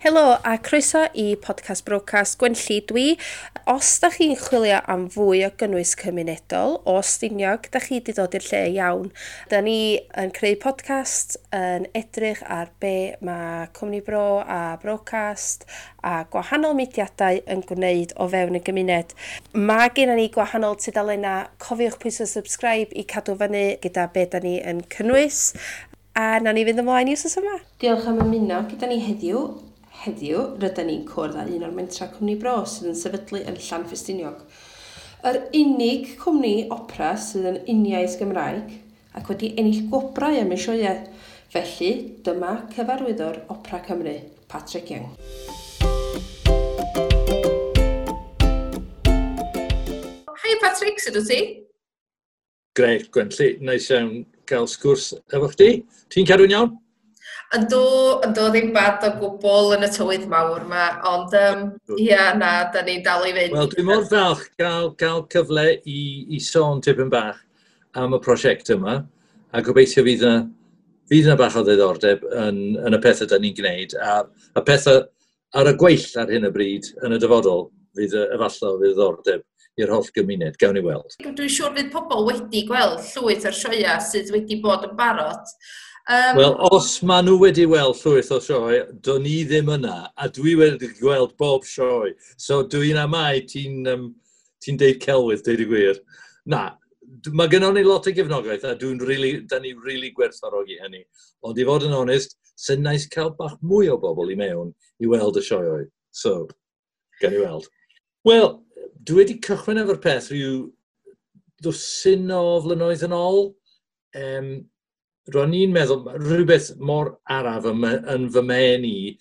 Helo a croeso i podcast Brocast Gwenlli dwi. Os da chi'n chwilio am fwy o gynnwys cymunedol o Stiniog, da chi wedi dod i'r lle iawn. Da ni yn creu podcast yn edrych ar be mae Cwmni Bro a Brocast a gwahanol mudiadau yn gwneud o fewn y gymuned. Mae gennym ni gwahanol tudalennau. Cofiwch pwyso subscribe i cadw fyny gyda be da ni yn cynnwys. A nawn ni fynd ymlaen i wsos yma. Diolch am ymuno gyda ni heddiw. Heddiw, rydyn ni'n cwrdd â un o'r mentra Cwmni Bro sydd yn sefydlu yn Llanffestiniog. Yr unig cwmni opera sydd yn uniaith Gymraeg ac wedi ennill gwobrau am ei sioeau. Felly, dyma cyfarwyddwr Opera Cymru, Patrick Young. Hi Patrick, sut wyt ti? Grêt, Gwenlli. Neis iawn cael sgwrs efo chdi. Ti'n cadw'n iawn? Yndw, yndw, ddim bad o gwbl yn y tywydd mawr yma, ond ia, na, da ni'n dal i fynd. Wel, dwi mor falch gael cyfle i sôn tipyn bach am y prosiect yma, a gobeithio fydd yna bach o ddiddordeb yn y pethau da ni'n gwneud, a pethau ar y gweill ar hyn o bryd yn y dyfodol, fydd efallai o ddiddordeb i'r holl gymuned, gawn ni weld. Dwi'n siŵr fydd pobl wedi gweld llwyth o'r sioeau sydd wedi bod yn barod. Wel, os maen nhw wedi weld llwyth o sioe, do'n i ddim yna, a dwi wedi gweld bob sioe. So dwi'n amau ti'n deud celwydd, deud y gwir. Na, mae gynnon ni lot o gefnogaeth, a da ni really gwerthfawrogi hynny. Ond i fod yn onest, sy'n nice cael bach mwy o bobl i mewn i weld y sioeau. So, gawn ni weld. Wel, dwi wedi cychwyn efo'r peth rhyw dwsin o flynyddoedd yn ôl. Ro'n i'n meddwl, rhywbeth mor araf yn fy mhen i,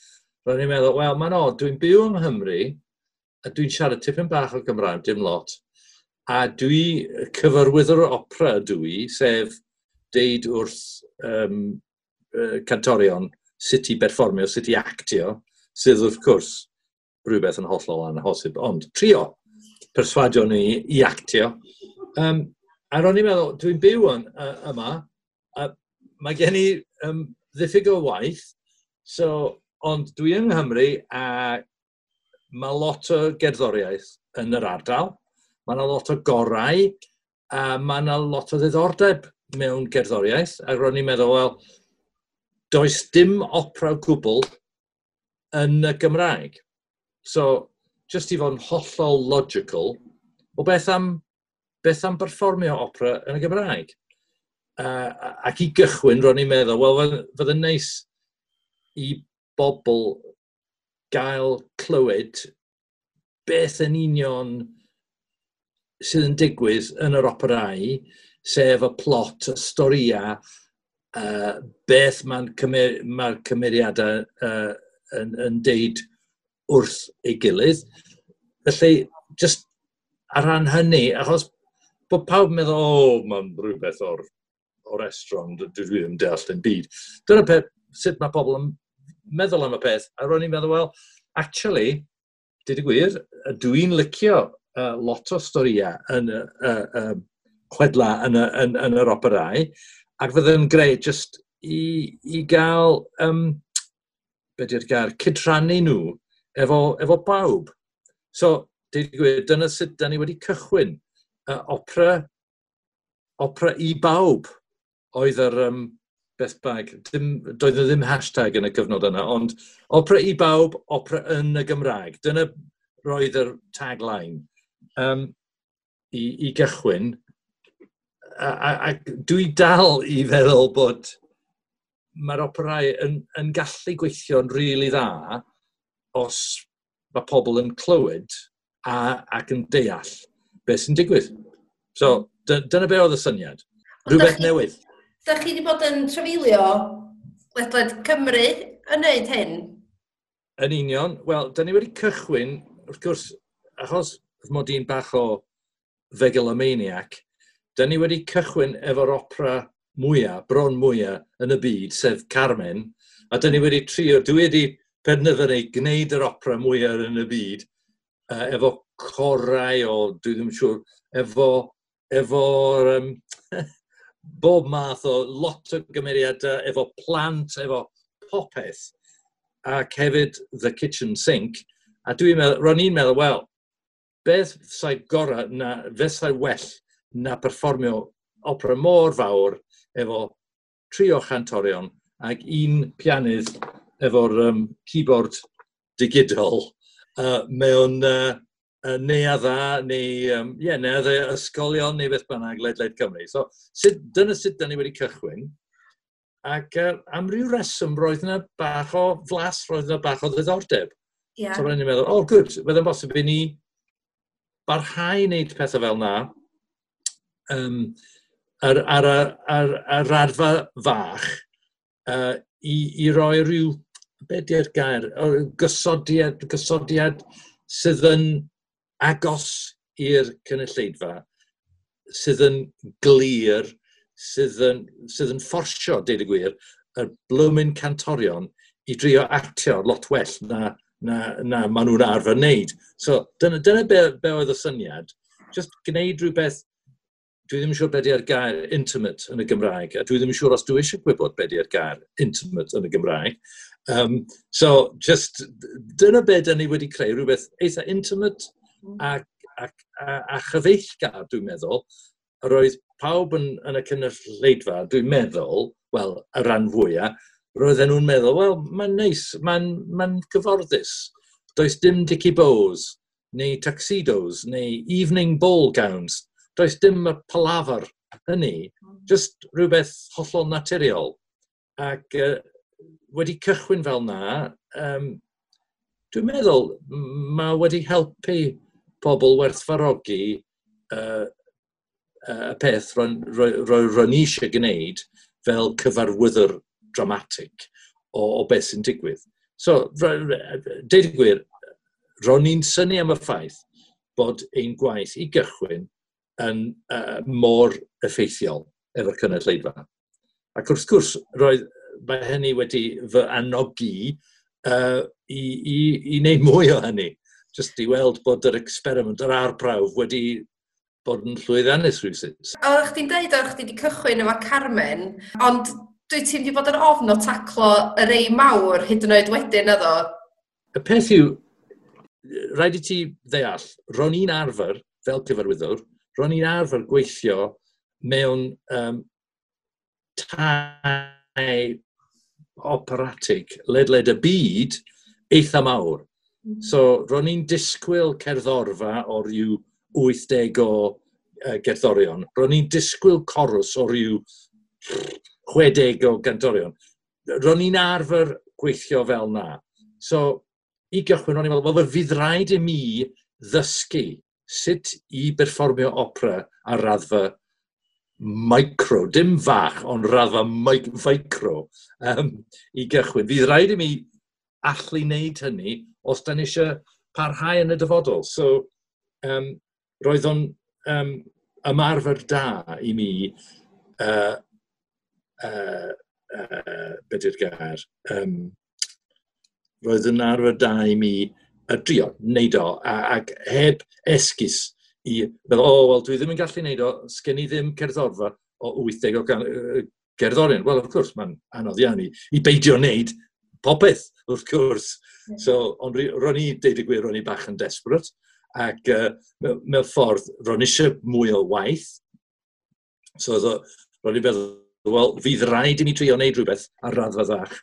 ro'n i'n meddwl, wel, mae'n od, dwi'n byw yng Nghymru, a dwi'n siarad tipyn bach o Gymraeg, dim lot, a dwi cyfarwyddwr opera dwi, sef deud wrth cantorion sut i berfformio, sut i actio, sydd wrth gwrs rhywbeth yn hollol anhosib, ond trio perswadio ni i actio. A ro'n i'n meddwl, dwi'n byw yma, a mae gen i ddiffyg o waith, so, ond dwi yng Nghymru a mae lot o gerddoriaeth yn yr ardal, mae yna lot o gorau, a mae yna lot o ddiddordeb mewn gerddoriaeth, a ro'n i'n meddwl, wel, does dim opera o gwbl yn y Gymraeg. So, just i fod yn hollol logical, o beth am berfformio opera yn y Gymraeg? Ac i gychwyn, ro'n i'n meddwl, wel, fydd yn neis i bobl gael clywed beth yn union sydd yn digwydd yn yr operau, sef y plot, y storia, beth mae'r cymeriadau yn deud wrth ei gilydd. Felly, just ar ran hynny, achos bod pawb yn meddwl, o, mae'n rhywbeth o'r restaurant, dwi ddim deall yn byd. Dyna peth, sut mae pobl yn meddwl am y peth, a ro'n i'n meddwl, well, actually, dweud y gwir, dwi'n licio lot o storïau yn y chwedla yn yr operau, ac fydd yn greu just i gael, be di'r gair, cydrannu nhw efo bawb. So, dweud y gwir, dyna sut da ni wedi cychwyn. Opera i bawb oedd yr beth bag, doedd yna ddim hashtag yn y cyfnod yna, ond opera i bawb, opera yn y Gymraeg. Dyna roedd yr tagline i gychwyn. A dwi dal i feddwl bod mae'r operau yn gallu gweithio'n rili dda os mae pobl yn clywed ac yn deall beth sy'n digwydd. So, dyna be oedd y syniad. Rhywbeth newydd. Da chi wedi bod yn trafeilio ledled Cymru yn neud hyn? Yn union. Wel, da ni wedi cychwyn, wrth gwrs, achos mod i'n bach o megalomaniac, da ni wedi cychwyn efo'r opera mwyaf, bron mwyaf yn y byd, sef Carmen, a da ni wedi trio, dwi wedi penderfynu gwneud yr opera mwyaf yn y byd, efo corau o, dwi ddim yn siŵr, efo'r bob math o lot o gymeriadau, efo plant, efo popeth. ac hefyd The Kitchen Sink. A dwi'n meddwl, ro'n i'n meddwl, wel, beth sa'i gorau na, beth sa'i well na perfformio opera mor fawr efo tri o chantorion ac un pianydd efo'r keyboard digidol mewn neuadda neu yeah, neuaddau ysgolion neu beth bynnag ledled Cymru. So, dyna sut dyn ni wedi cychwyn. Ac am ryw reswm roedd yna bach o flas, roedd yna bach o ddiddordeb. So roedd ni'n meddwl, oh good, bydd yn bosib i ni barhau i wneud pethau fel na ar raddfa fach i roi rhyw, be di'r gair, gysodiad sydd yn agos i'r cynulleidfa, sydd yn glir, sydd yn fforsio, deud y gwir, y blwmyn cantorion i drio actio lot well na maen nhw'n arfer wneud. So, dyna be oedd y syniad. Just gwneud rhywbeth, dwi ddim yn siŵr be di'r gair intimate yn y Gymraeg, a dwi ddim yn siŵr os dwi eisiau gwybod be di'r gair intimate yn y Gymraeg. So, just, dyna be dyn ni wedi creu, rhywbeth eitha intimate a chyfeillgar, dwi'n meddwl. Roedd pawb yn y cynulleidfa, dwi'n meddwl, wel, y rhan fwyaf, roedden nhw'n meddwl, wel, mae'n neis, mae'n gyfforddus. Does dim dicky bows, neu tuxedos, neu evening ball gowns. Does dim y palafr hynny. Just rhywbeth hollol naturiol. Ac wedi cychwyn fel na, dwi'n meddwl mae wedi helpu pobl werthfawrogi y peth ro'n i eisiau gwneud fel cyfarwyddwr dramatic o beth sy'n digwydd. So, deud y gwir, ro'n i'n synnu am y ffaith bod ein gwaith i gychwyn yn mor effeithiol efo'r cynulleidfa. Ac wrth gwrs, mae hynny wedi fy anogi i wneud mwy o hynny. Just i weld bod yr experiment, yr arbrawf wedi bod yn llwyddiannus rhywsut. Oeddech chdi'n deud oeddech chdi wedi cychwyn efo Carmen, ond dwi ti'n wedi bod yn ofn o taclo y rei mawr hyd yn oed wedyn, naddo? Y peth yw, rhaid i ti ddeall, ro'n i'n arfer, fel cyfarwyddwr, ro'n i'n arfer gweithio mewn tai operatig ledled y byd eitha mawr. So, ro'n i'n disgwyl cerddorfa o ryw 80 o gerddorion. Ro'n i'n disgwyl corws o ryw 60 o gantorion. Ro'n i'n arfer gweithio fel na. So, i gychwyn, ro'n i'n meddwl, wel, fydd rhaid i mi ddysgu sut i berfformio opera ar raddfa micro, dim fach, ond raddfa micro i gychwyn. Fydd rhaid i mi allu wneud hynny os da ni eisiau parhau yn y dyfodol. So, roedd o'n ymarfer da i mi, be di'r gair, roedd yn arfer da i mi drio wneud o, ac heb esgus i feddwl, o, wel, dwi ddim yn gallu wneud o, sgen i ddim cerddorfa o 80 o gerddorion. Wel, wrth gwrs, mae'n anodd iawn i beidio wneud popeth, wrth gwrs. So, ond ro'n i, deud y gwir, ro'n i bach yn desperate, ac mewn ffordd, ro'n eisiau mwy o waith. So, ro'n i'n meddwl, wel, fydd rhaid i mi trio wneud rhywbeth ar raddfa fach.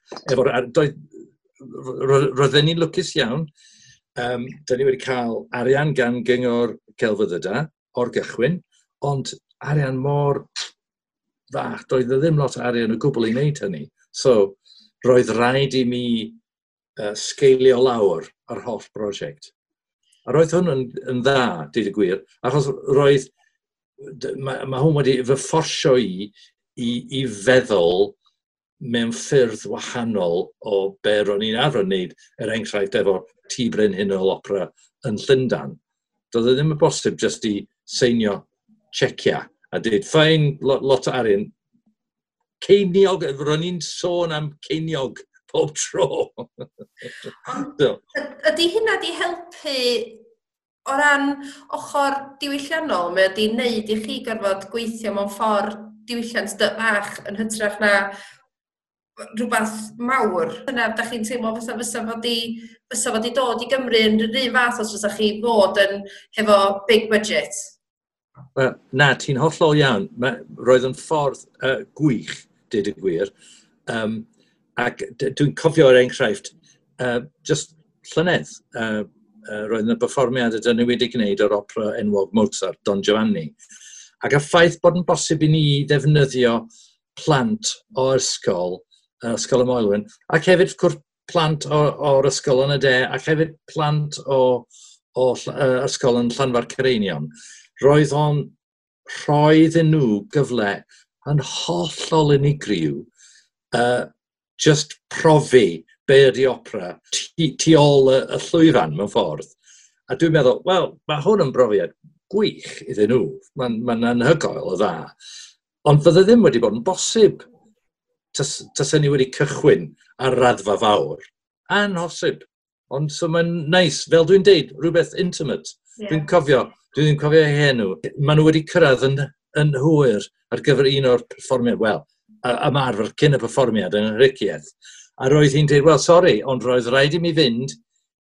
Roedden ni'n lwcus iawn. Da ni wedi cael arian gan Gyngor Celfyddydau o'r gychwyn, ond arian mor fach, doedd e ddim lot o arian o gwbl i wneud hynny. So, roedd rhaid i mi sgeilio lawr yr holl brosiect. A roedd hwn yn dda, dweud y gwir, achos mae hwn wedi fy fforsio i feddwl mewn ffyrdd wahanol o be ro'n i'n arfer wneud, er enghraifft efo Tŷ Brenhinol Opera yn Llundain. Doedd e ddim yn bosib jyst i seinio checia a dweud, fine, lot o arian. Ceiniog, ro'n i'n sôn am ceiniog pob tro. So. Ydy hynna di helpu o ran ochr diwylliannol? Mae wedi wneud i chi gorfod gweithio mewn ffordd diwylliant bach yn hytrach na rhywbeth mawr. Dyna, da chi'n teimlo fatha fysa fod i dod i Gymru yn yr un fath os fysa chi fod yn hefo big budget? Wel, na, ti'n hollol iawn. Roedd yn ffordd gwych, dweud y gwir. Ac dwi'n cofio er enghraifft, just llynedd, roedd yna berfformiad ydyn ni wedi gwneud o'r opera enwog Mozart, Don Giovanni. Ac y ffaith bod yn bosib i ni ddefnyddio plant o ysgol, Ysgol y Moelwyn, ac hefyd cwrs plant o'r ysgol yn y de, ac hefyd plant o ysgol yn Llanfair Caereinion. Roedd o'n rhoi iddyn nhw gyfle yn hollol unigryw, just profi be ydy opera tu ôl y llwyfan mewn ffordd. A dwi'n meddwl, wel, mae hwn yn brofiad gwych iddyn nhw. Mae'n anhygoel o dda. Ond fydde ddim wedi bod yn bosib tasen ni wedi cychwyn ar raddfa fawr. Anhosib. Ond so mae'n neis, fel dwi'n deud, rhywbeth intimate. Dwi'n cofio, dwi ddim cofio eu henw. Maen nhw wedi cyrraedd yn hwyr ar gyfer un o'r perfformiad, wel, ymarfer cyn y perfformiad yn y Ricieth. A roedd hi'n dweud, "Wel, sori, ond roedd rhaid i mi fynd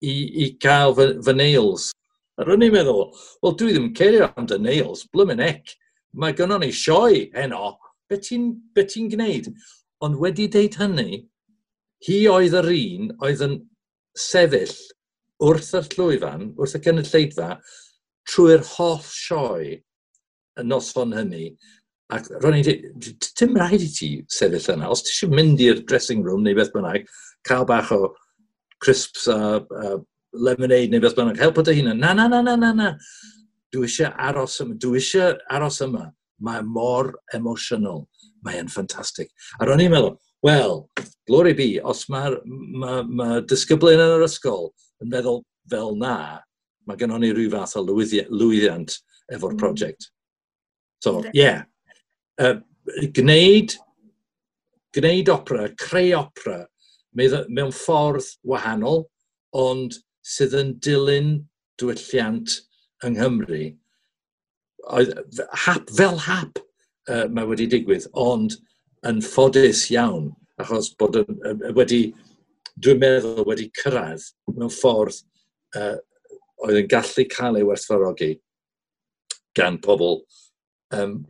i gael fy nails." A ro'n i'n meddwl, "Wel, dwi ddim yn cerio am dy nails, blymyn ec. Mae gynnon ni sioe heno. Be ti gwneud?" Ond wedi deud hynny, hi oedd yr un oedd yn sefyll wrth y llwyfan, wrth y gynulleidfa, trwy'r holl sioe y noson hynny. Ac ro'n i'n dweud, "Dim rhaid i ti sefyll yna. Os ti eisiau mynd i'r dressing room neu beth bynnag, cael bach o crisps a lemonade neu beth bynnag, helpu dy hunan." "Na, na, na, na, na, na. Dwi eisiau aros yma. Dwi eisiau aros yma. Mae mor emosiynol. Mae'n ffantastig." A ro'n i'n meddwl, wel, glory be, os mae'r ma disgyblion yn yr ysgol yn meddwl fel na, mae gennon ni rhyw fath o lwyddiant efo'r prosiect. So, ie. Yeah. Gwneud opera, creu opera, mewn ffordd wahanol, ond sydd yn dilyn diwylliant yng Nghymru. Oedd, fel hap mae wedi digwydd, ond yn ffodus iawn, achos bod yn wedi, dwi'n meddwl, wedi cyrraedd mewn ffordd oedd yn gallu cael ei werthfawrogi gan pobl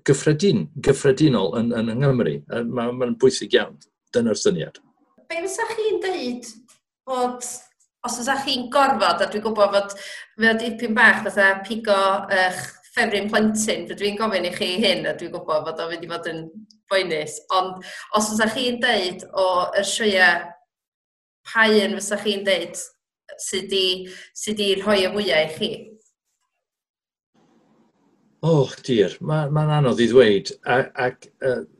gyffredinol yn Nghymru. Mae'n bwysig iawn. Dyna'r syniad. Be fysa chi'n deud bod, os fysa chi'n gorfod, a dwi'n gwybod fod fe o dipyn bach fatha pigo eich ffefryn plentyn, rydw i'n gofyn i chi hyn, a dwi'n gwybod fod o'n mynd i fod yn boenus, ond os fysa chi'n deud o yr sioeau, pa un fysa chi'n deud sydd di rhoi y fwyaf i chi? Oh dear, mae'n anodd i ddweud. Ac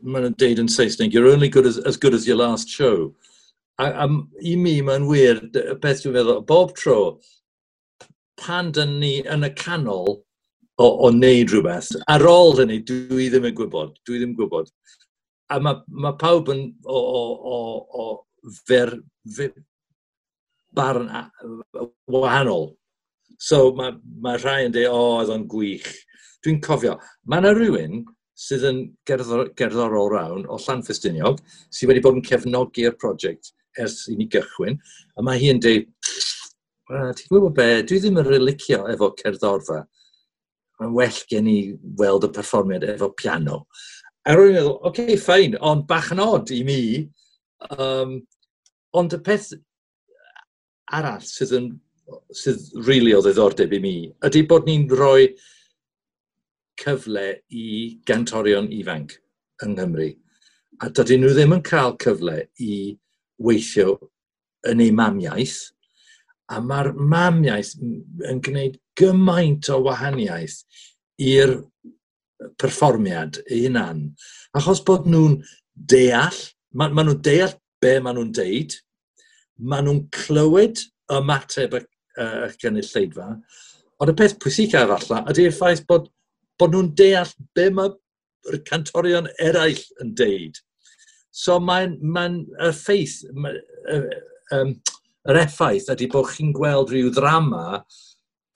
maen nhw'n deud yn Saesneg, "You're only as good as your last show." A i mi mae'n wir, y beth dwi'n meddwl, bob tro, pan dyn ni yn y canol o wneud rhywbeth, ar ôl hynny, dwi ddim yn gwybod, dwi ddim yn gwybod. A mae pawb yn o barn wahanol. So mae rhai yn dweud, "O, oedd o'n gwych." Dwi'n cofio, mae yna rhywun sydd yn gerddorol rawn o Llanffestiniog, sydd wedi bod yn cefnogi'r prosiect ers i ni gychwyn, a mae hi'n dweud, "Ti'n gwybod be, dwi ddim yn rili licio efo cerddorfa. Mae'n well gen i weld y perfformiad efo piano." A rwy'n meddwl, "Oce, okay, fine, ond bach yn odd i mi." Ond y peth arall sydd really o ddiddordeb i mi ydy bod ni'n rhoi cyfle i gantorion ifanc yng Nghymru. A dydyn nhw ddim yn cael cyfle i weithio yn eu mamiaith. A mae'r mamiaith yn gwneud gymaint o wahaniaeth i'r perfformiad ei hunan. Achos bod nhw'n deall, ma nhw'n deall be maen nhw'n deud, maen nhw'n clywed ymateb y gynulleidfa, ond y peth pwysicaf falle ydy'r ffaith bod nhw'n deall be mae'r cantorion eraill yn deud. So mae'n y ffaith, yr effaith ydy bod chi'n gweld rhyw ddrama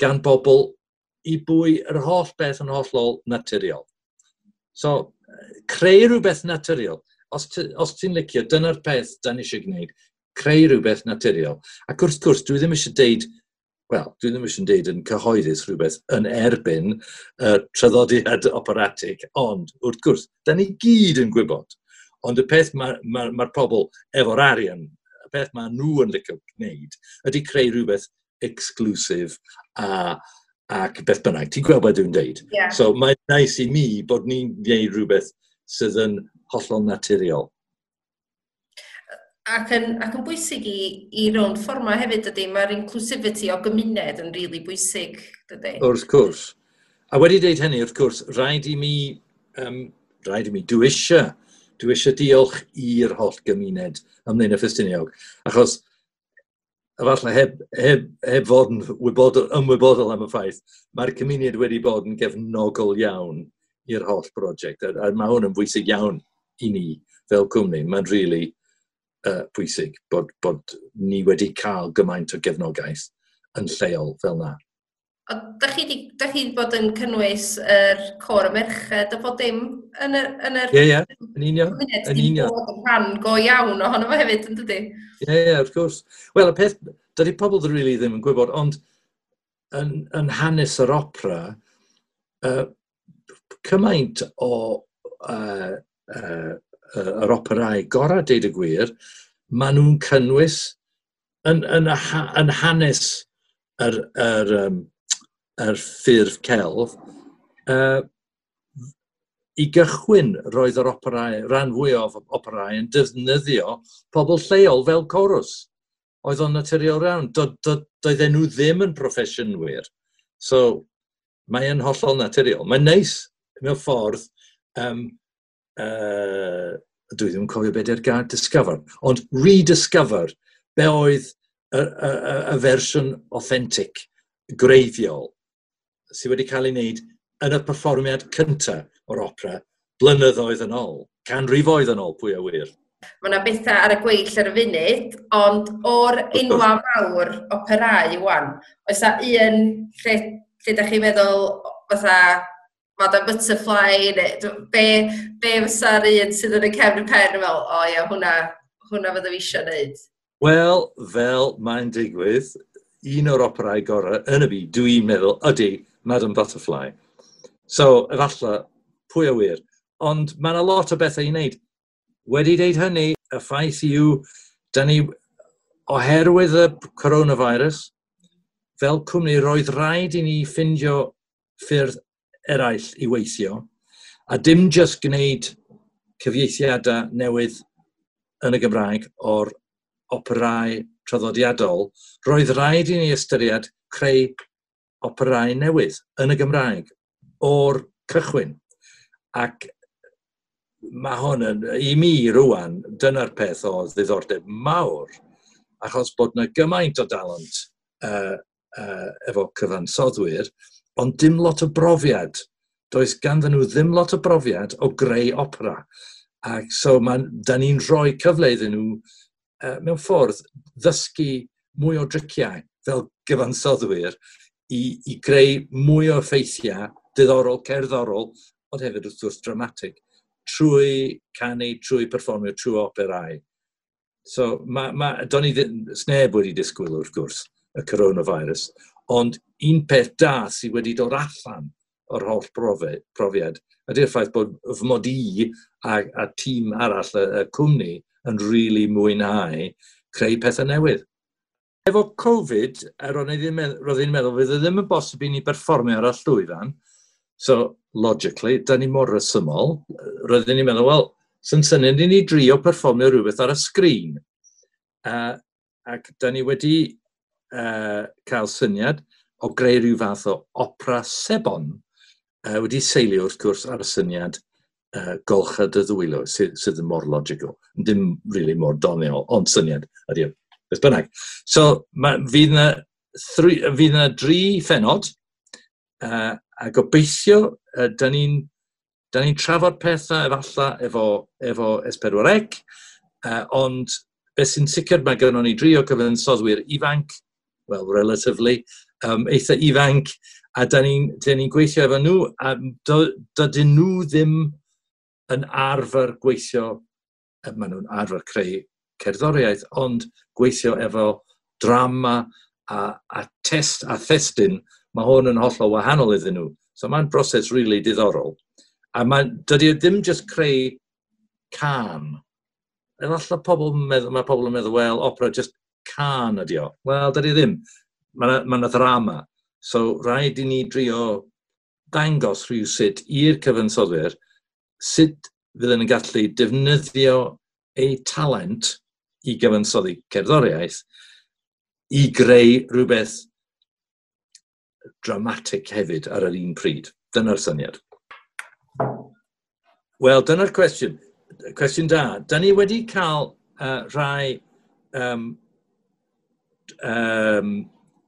gan bobl i bwy yr holl beth yn hollol naturiol. So, creu rhywbeth naturiol. Os ti'n licio, dyna'r peth da ni eisiau gwneud, creu rhywbeth naturiol. Ac wrth gwrs, dwi ddim eisiau deud, wel, dwi ddim eisiau deud yn cyhoeddus rhywbeth yn erbyn traddodiad operatig, ond wrth gwrs, da ni gyd yn gwybod. Ond y peth mae'r ma pobl efo'r arian, y peth mae nhw yn licio gwneud, ydy creu rhywbeth exclusive ac beth bynnag. Ti'n gweld beth dwi'n deud? Yeah. So mae'n nice i mi bod ni'n gwneud rhywbeth sydd yn hollol naturiol. Ac yn bwysig i rownd fforma hefyd, dydy, mae'r inclusivity o gymuned yn rili bwysig, dydy? Wrth gwrs. A wedi deud hynny, wrth gwrs, rhaid i mi, dwi eisiau diolch i'r holl gymuned ym Mlaenau Ffestiniog, achos efallai heb fod yn ymwybodol am y ffaith, mae'r cymuned wedi bod yn gefnogol iawn i'r holl brosiect, a mae hwn yn bwysig iawn i ni fel cwmni. Mae'n rili pwysig bod ni wedi cael gymaint o gefnogaeth yn lleol fel na. O, da chi 'di bod yn cynnwys yr côr y merched a bod dim yn yr Ie, yn union. Yn union. Bod yn rhan go iawn ohono fo hefyd, yn dydi? Ie, wrth gwrs. Wel, y peth, dydy pobl rili ddim yn gwybod, ond yn hanes yr opera, cymaint o yr operau gorau, deud y gwir, maen nhw'n cynnwys yn hanes yr ffurf celf. I gychwyn roedd yr operau, rhan fwyaf o operau yn defnyddio pobl lleol fel corws. Oedd o'n naturiol iawn. Doedden nhw ddim yn proffesiynwyr. So, mae yn hollol naturiol. Mae'n neis mewn ffordd, dwi ddim yn cofio beth yw'r gair discover, ond rediscover be oedd y fersiwn authentic, gwreiddiol, sydd wedi cael ei wneud yn y perfformiad cyntaf o'r opera blynyddoedd yn ôl, canrifoedd yn ôl, pwy a wir. Mae yna bethau ar y gweill ar y funud, ond o'r enwa mawr operau wan, oes 'na un lle ydych chi'n meddwl fatha Madame Butterfly, neu be fysa'r un sydd yn y cefn y pen fel, o ia, hwnna fydda fi eisiau gwneud? Wel, fel mae'n digwydd, un o'r operau gorau yn y byd, dwi'n meddwl, ydy Madame Butterfly. So, efallai, pwy a wir. Ond mae yna lot o bethau i wneud. Wedi deud hynny, y ffaith yw, da ni, oherwydd y coronavirus, fel cwmni, roedd rhaid i ni ffindio ffyrdd eraill i weithio, a dim just gwneud cyfieithiadau newydd yn y Gymraeg o'r operau traddodiadol, roedd rhaid i ni ystyried creu operau newydd yn y Gymraeg o'r cychwyn. Ac mae hwn yn, i mi rwan, dyna'r peth o ddiddordeb mawr, achos bod yna gymaint o dalent efo cyfansoddwyr, ond dim lot o brofiad. Does ganddyn nhw ddim lot o brofiad o greu opera. Ac so da ni'n rhoi cyfle iddyn nhw mewn ffordd ddysgu mwy o driciau fel gyfansoddwyr i greu mwy o effeithiau diddorol, cerddorol, ond hefyd wrth gwrs dramatig, trwy canu, trwy perfformio, trwy operau. So, do'n i sneb wedi disgwyl wrth gwrs y coronavirus, ond un peth da sydd wedi dod allan o'r holl profiad ydy'r ffaith bod fy mod i a tîm arall y cwmni yn rili mwynhau creu pethau newydd. Efo Covid, roedd i'n meddwl, fydd e ddim yn bosib i ni berfformio ar y llwyfan. So, logically, da ni mor resymol. Roeddwn ni'n meddwl, wel, sy'n syniad i ni drio perfformio rhywbeth ar y sgrin. Ac da ni wedi cael syniad o greu rhyw fath o opera sebon, wedi seilio wrth gwrs ar y syniad golcha dy ddwylo, sydd yn mor logical. Dim really mor doniol, ond syniad ydy o. Beth bynnag. So, fydd yna 3 phennod, a gobeithio, da ni'n trafod pethau efallai efo S4C, ond beth sy'n sicr, mae gynnon ni 3 o cyfansoddwyr ifanc, well, relatively, eitha ifanc, a da ni'n gweithio efo nhw, a dydyn nhw ddim yn arfer gweithio Maen nhw'n arfer creu cerddoriaeth, ond gweithio efo drama a test a thestun, mae hwn yn hollol wahanol iddyn nhw. So mae'n broses really diddorol. A dydy e ddim just creu cân. Efallai mae pobl yn meddwl, "Wel, opera just cân ydi o." Wel, dydy ddim. Mae yna ddrama. So rhaid i ni drio dangos rhywsut i'r cyfansoddwyr sut fydden yn gallu defnyddio eu talent i gyfansoddi cerddoriaeth i greu rhywbeth dramatic hefyd ar yr un pryd. Dyna'r syniad. Wel, dyna'r cwestiwn. Cwestiwn da. Da ni wedi cael rhai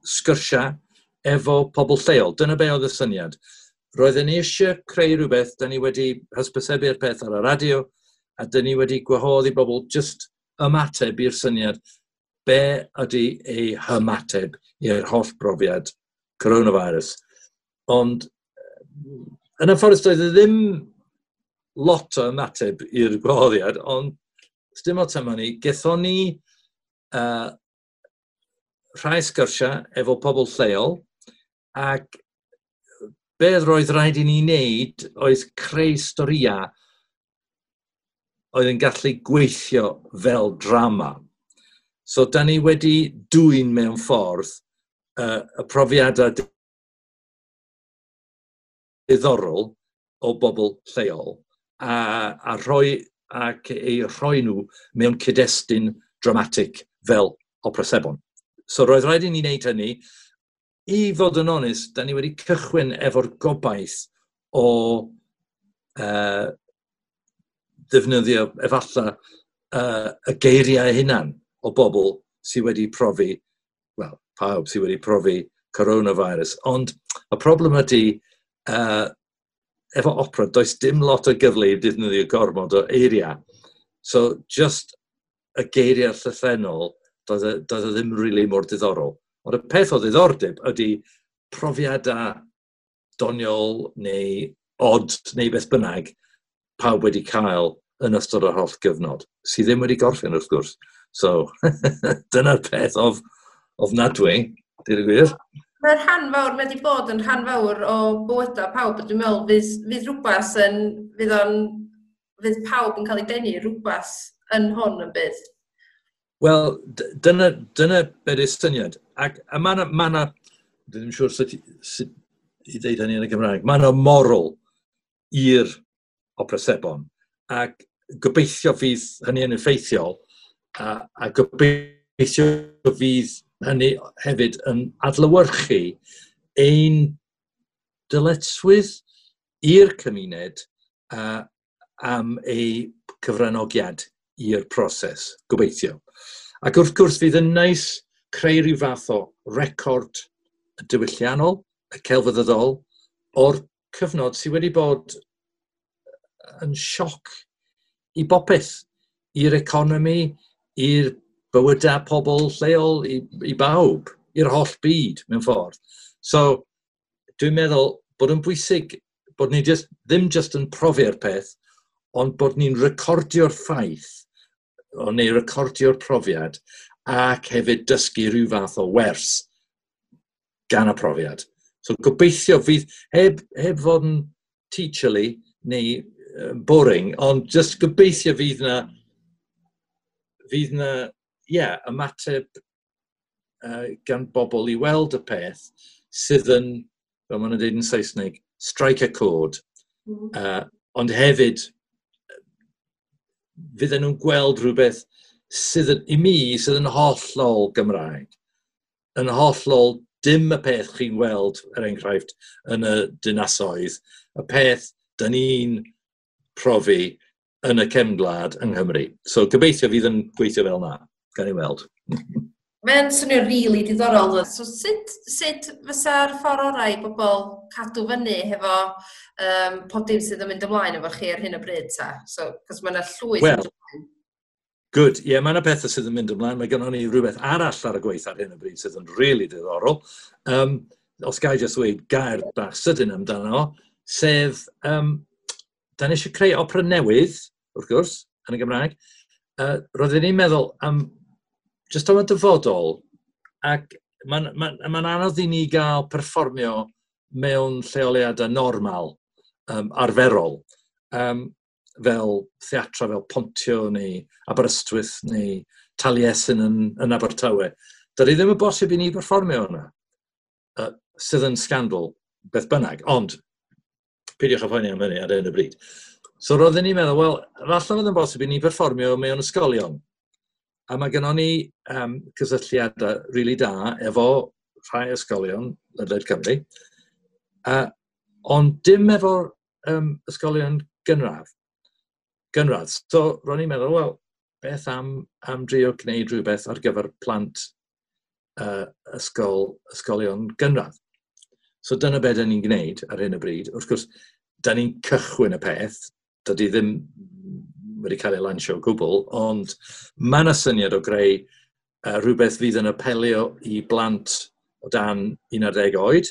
sgyrsiau efo pobl lleol. Dyna be oedd y syniad. Roedden ni eisiau creu rhywbeth, da ni wedi hysbysebu'r peth ar y radio, a da ni wedi gwahodd i bobl just ymateb i'r syniad, be ydy eu hymateb i'r holl brofiad coronavirus. Ond yn anffodus doedd e ddim lot o ymateb i'r gwahoddiad, ond dim ots am hynny, gethon ni rhai sgyrsiau efo pobl lleol, ac beth roedd rhaid i ni wneud oedd creu storïau oedd yn gallu gweithio fel drama. So, da ni wedi dwyn mewn ffordd y profiadau diddorol o bobl lleol a rhoi ac eu rhoi nhw mewn cyd-destun dramatic fel opera sebon. So roedd rhaid i ni wneud hynny. I fod yn onest, da ni wedi cychwyn efo'r gobaith o ddefnyddio efallai y geiriau hunan o bobl sydd wedi profi, wel, pawb sydd wedi profi coronavirus. Ond y problem ydy, efo opera, does dim lot o gyfle i ddefnyddio gormod o eiriau. So, just y geiriau llythrennol, doedd e ddim really mor diddorol. Ond y peth o ddiddordeb ydy profiadau doniol neu od neu beth bynnag pawb wedi cael yn ystod yr holl gyfnod, sydd ddim wedi gorffen wrth gwrs. So, dyna'r peth ofnadwy, dweud y gwir. Mae'r rhan fawr, mae wedi bod yn rhan fawr o bywydau pawb, dwi'n meddwl fydd rhywbeth yn, fydd o'n, fydd pawb yn cael ei denu rhywbeth yn hwn yn bydd. Wel, dyna beth yw'r syniad. Ac a mae yna, ma dwi ddim siŵr sut i ddeud hynny yn y Gymraeg, mae yna moral i'r opera sebon. Ac gobeithio fydd hynny yn effeithiol, a gobeithio fydd hynny hefyd yn adlewyrchu ein dyletswydd i'r cymuned am ei cyfranogiad i'r proses, gobeithio. Ac wrth gwrs fydd yn neis creu rhyw fath o record diwylliannol, y celfyddydol, o'r cyfnod sydd wedi bod yn sioc i bopeth, i'r economi, i'r bywydau pobl lleol, i bawb, i'r holl byd mewn ffordd. So, dwi'n meddwl bod yn bwysig bod ni just, ddim just yn profi'r peth, ond bod ni'n recordio'r ffaith, o neu recordio'r profiad, ac hefyd dysgu rhyw fath o wers gan y profiad. So gobeithio fydd, heb fod yn teacherly neu boring, ond just gobeithio fydd na, yeah, ymateb gan bobl i weld y peth sydd yn, fel maen nhw'n dweud yn Saesneg, strike a chord. Ond hefyd, fydden nhw'n gweld rhywbeth sydd yn, i mi, sydd yn hollol Gymraeg. Yn hollol dim y peth chi'n weld, er enghraifft, yn y dinasoedd. Y peth dyn ni'n profi yn y cefn gwlad yng Nghymru. So gobeithio fydd yn gweithio fel na. Gan i weld. Mae'n swnio really diddorol. So sut fysa'r ffordd orau i bobl cadw fyny hefo pob dim sydd yn mynd ymlaen efo chi ar hyn o bryd ta? So, cos mae yna llwyth Wel, good. Ie, yeah, mae yna pethau sydd yn mynd ymlaen. Mae gennym ni rhywbeth arall ar y gweith ar hyn o bryd sydd yn really diddorol. Os ga i just dweud gair bach sydyn amdano, sef, da ni eisiau creu opera newydd, wrth gwrs, yn y Gymraeg. Roeddwn i'n meddwl am just am y dyfodol, ac mae'n ma anodd i ni gael perfformio mewn lleoliadau normal, arferol, fel theatra, fel Pontio neu Aberystwyth neu Taliesin yn Abertawe. Dydy ddim yn bosib i ni perfformio yna, sydd yn scandal beth bynnag, ond peidiwch â phoeni am hynny ar hyn o bryd. So roeddwn i'n meddwl, wel, falle fydd yn bosib i ni perfformio mewn ysgolion. A mae gennon ni cysylltiadau rili da efo rhai ysgolion ledled Cymru, ond dim efo'r ysgolion gynradd. So ro'n i'n meddwl, wel, beth am drio gwneud rhywbeth ar gyfer plant ysgolion gynradd. So dyna be da ni'n gwneud ar hyn o bryd. Wrth gwrs, da ni'n cychwyn y peth, dydy ddim wedi cael ei lansio o gwbl, ond mae yna syniad o greu rhywbeth fydd yn apelio i blant o dan 11 oed,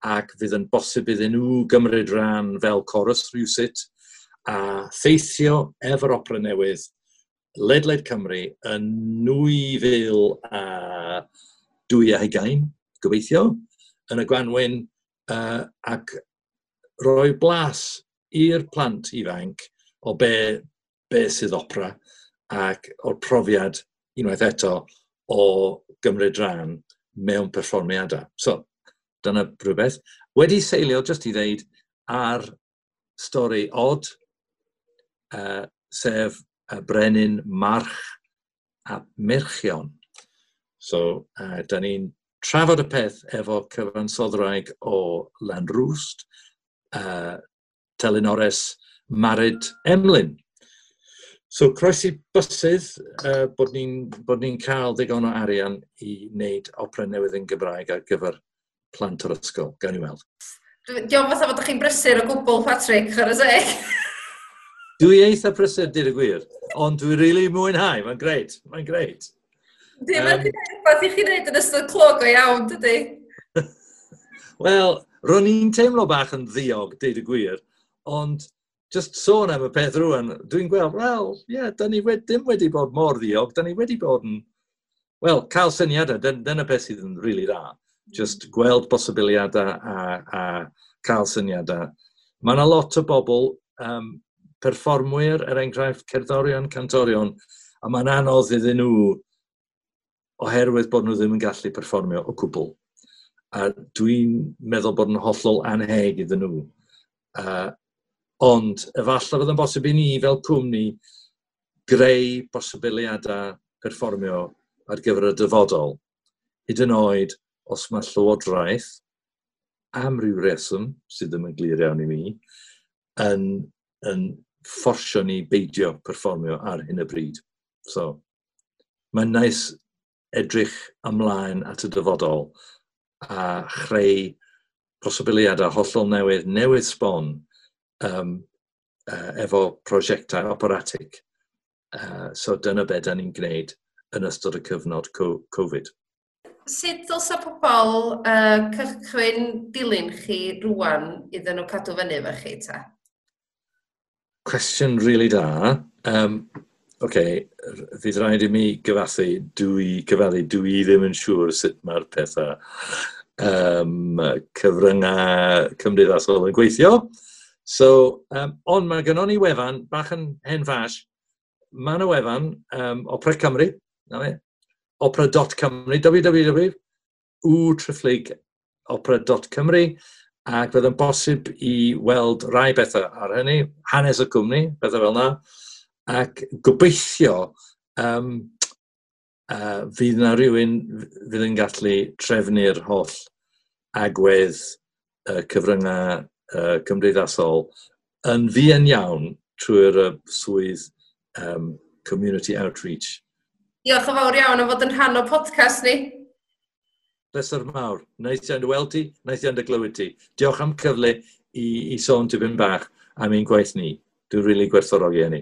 ac fydd yn bosib iddyn nhw gymryd rhan fel chorus rhywsut, a theithio efo'r opera newydd ledled Cymru yn 2022, gobeithio, yn y gwanwyn, ac rhoi blas i'r plant ifanc o be sydd opera ac o'r profiad unwaith eto o gymryd rhan mewn perfformiadau. So, dyna rhywbeth. Wedi seilio, just i ddeud, ar stori od, sef y Brenin March a Merchion. So, da ni'n trafod y peth efo cyfansoddwraig o Lanrwst, Telynores Mared Emlyn. So, croesi bysydd bod ni'n cael digon o arian i wneud opera newydd yn Gymraeg ar gyfer plant o'r ysgol. Gawn ni weld. Diolch fatha fod chi'n brysur o gwbl, Patrick, chwarae teg. Dwi eitha prysur, dweud y gwir, ond dwi rili mwynhau, mae'n greit, mae'n greit. Dim yn rhywbeth i chi wneud yn ystod clo go iawn, dydy? Wel, ro'n i'n teimlo bach yn ddiog, deud y gwir, ond just sôn am y peth rwan, dwi'n gweld, wel, ie, yeah, da ni ddim wedi bod mor ddiog, da ni wedi bod yn, wel, cael syniadau, dyna beth sydd yn rili dda. Just gweld posibiliadau a cael syniadau. Mae yna lot o bobl, perfformwyr, er enghraifft, cerddorion, cantorion, a mae'n anodd iddyn nhw oherwydd bod nhw ddim yn gallu perfformio o gwbl. A dwi'n meddwl bod yn hollol anheg iddyn nhw. Ond efallai fydd yn bosib i ni fel cwmni greu posibiliadau perfformio ar gyfer y dyfodol. Hyd yn oed os mae Llywodraeth, am ryw reswm sydd ddim yn glir iawn i mi, yn fforsio ni beidio perfformio ar hyn o bryd. So, mae'n neis edrych ymlaen at y dyfodol a chreu posibiliadau hollol newydd, newydd sbon, efo prosiectau operatig. So dyna be da ni'n gwneud yn ystod y cyfnod Covid. Sut dylsa pobl cychwyn dilyn chi rwan iddyn nhw cadw fyny efo chi ta? Cwestiwn rili da. OK, fydd rhaid i mi gyfathu, dwi ddim yn siŵr sut mae'r pethau cyfryngau cymdeithasol yn gweithio. So, ond mae gynnon ni wefan, bach yn hen ffash, mae yna wefan Opera Cymru, na fe, opera.cymru, www.opera.cymru, ac fydd yn bosib i weld rai bethau ar hynny, hanes y cwmni, bethau fel yna, ac gobeithio fydd yna rhywun fydd yn gallu trefnu'r holl agwedd cyfryngau cymdeithasol yn fuan iawn trwy'r swydd community outreach. Diolch yn fawr iawn am fod yn rhan o podcast ni. Pleser mawr. Neis iawn dy weld ti, neis iawn dy glywed ti. Diolch am cyfle i sôn tipyn bach am ein gwaith ni. Dwi'n rili gwerthfawrogi hynny.